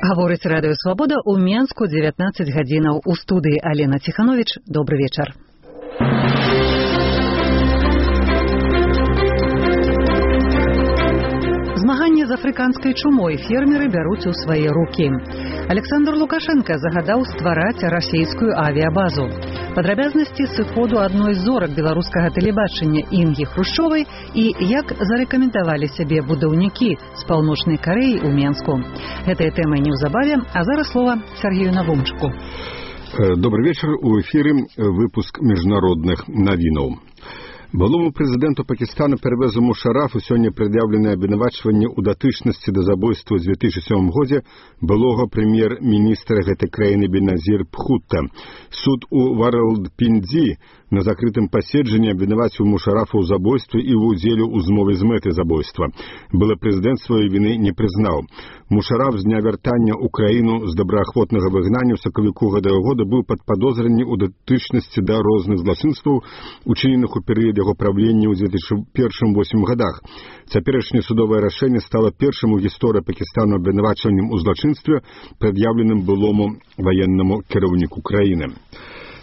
Гаворыць Радыё Свабода ў Менску 19 гадзінаў. У студыі Алена Ціхановіч. Добры вечар. Змаганне з афрыканскай чумой фермеры бяруць у свае рукі. Александр Лукашенко загадаў ствараць расійскую авіябазу. Падрабязнасці сыходу адной з зорак беларускага тэлебачання Інгі Хрушчовай і як зарэкамендавалі сябе будаўнікі з Паўночнай Карэі ў Менску. Гэтая тэма неўзабаве, а зараз слова Сергею Навумчыку. Добрый вечер. У эфире выпуск международных новинов. Былому прэзідэнту Пакістана Первезу Мушарафу сёння прад'яўленае абвінавачванне ў датычнасці да забойства ў 2007 годзе былога прэм'ер-міністра гэтай краіны Беназір Бхутта. Суд у Варалпіндзі на закрытым паседжанні абвінаваціў Мушарафа ў забойстве і ў удзеле ў змове з мэтай забойства. Былы прэзідэнт сваёй віны не прызнаў. Мушараф з дня вяртання ў краіну з добраахвотнага выгнання ў сакавіку гэтага года быў пад падозранні ў датычнасці да розных злачынстваў, учыненых у перыяд яго правлення ў 2001-2008 годах. Цяперашняе судовае рашэнне стала першым у гісторыі Пакістану абвінавачваннем у злачынстве, прад'яўленым былому ваеннаму кіраўніку краіны.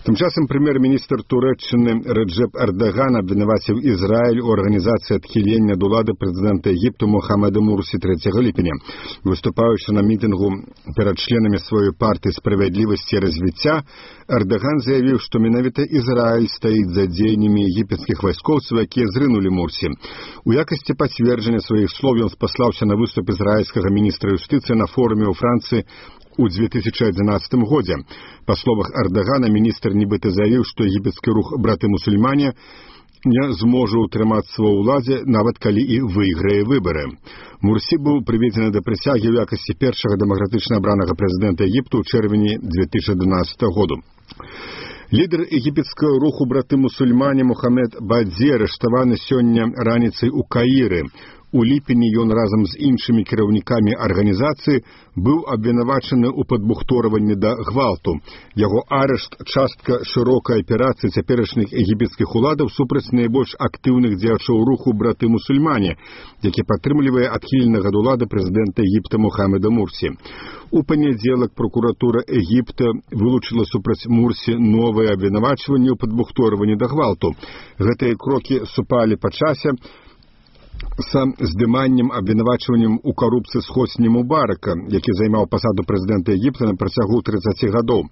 Тым часам прэм'ер-міністр Турэччыны Реджеп Эрдоган абвінаваціў Ізраіль у арганізацыі адхілення ад улады прэзідэнта Егіпту Мохамеда Мурсі 3 ліпеня. Выступаючы на мітынгу перад членамі сваёй партыі справядлівасці і развіцця, Эрдоган заявіў, што менавіта Ізраіль стаіць за дзеяннямі егіпецкіх вайскоўцаў, якія зрынулі Мурсі. У якасці пацверджання сваіх слоў ён спаслаўся на выступ ізраільскага міністра юстыцыі на форуме ў Францыі у 2011 годзе. Па словах Эрдогана, міністр нібыта заявіў, што егіпецкі рух браты-мусульмане не зможа ўтрымацца ва ўладзе, нават калі і выйграе выбары. Мурсі быў прыведзены да прысягі ў якасці першага дэмакратычна абранага прэзідэнта Егіпту ў чэрвені 2012 году. Лідар егіпецкага руху браты-мусульмане Мухаммед Бадзі арыштаваны сёння раніцай у Каіры. У ліпені ён разам з іншымі кіраўнікамі арганізацыі быў абвінавачаны ў падбухторванні да гвалту. Яго арышт – частка шырокай аперацыі цяперашніх егіпецкіх уладаў супраць найбольш актыўных дзеячоў руху браты-мусульмане, які падтрымлівае адхіленага ад улады прэзідэнта Егіпта Мухамеда Мурсі. У панядзелак прокуратура Егіпта вылучыла супраць Мурсі новыя абвінавачванні ў падбухторванні да гвалту. Гэтыя крокі супалі па часе са здыманнем абвінавачваннем у карупцыі з Хосні Мубарака, які займаў пасаду прэзідэнта Егіпта на працягу 30 гадоў.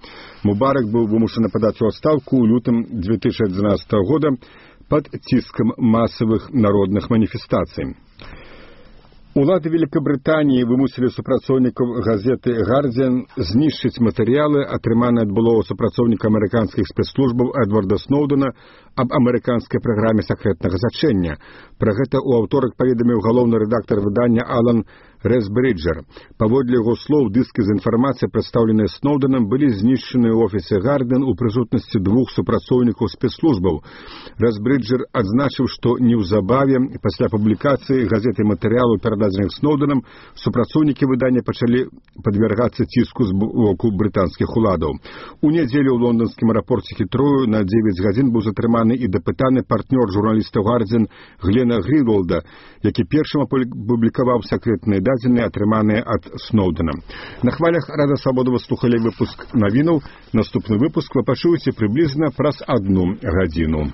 Мубарак быў вымушаны падаць у адстаўку ў лютым 2011 года пад ціскам масавых народных маніфестацый. Улады Великабрытаніі вымусілі супрацоўнікаў газеты «Гардзіан» знішчыць матэрыялы, атрыманыя ад былога супрацоўніка амерыканскіх спецслужбаў Эдварда Сноўдена аб амерыканскай праграме сакрэтнага зачэння. Пра гэта ў аўторак паведаміў галоўны рэдактар выдання Алан Рэсбрыджер. Паводле яго слоў, дыскі з інфармацыяй, прадстаўленыя Сноўденам, былі знішчаны ў офісе «Гардзіан» у прысутнасці двух супрацоўнікаў спецслужбаў. Рэсбрыджер адзначыў, што неўзабаве пасля публікацыі газеты матэрыялу перададзеных Сноўденам супрацоўнікі выдання пачалі падвяргацца ціску з боку брытанскіх уладаў. У нядзелю ў лонданскім аэрапорце Хітрою на 9 гадзін быў затрыманы і дапытаны партнёр журналіста «Гардзіан» Глена Гринволда, які першым апублікаваў сакрэтныя дадзеныя, атрыманыя ад Сноўдена. На хвалях Радыё Свабода вы слухалі выпуск навінаў. Наступны выпуск вы пачуеце прыблізна праз 1 гадзіну.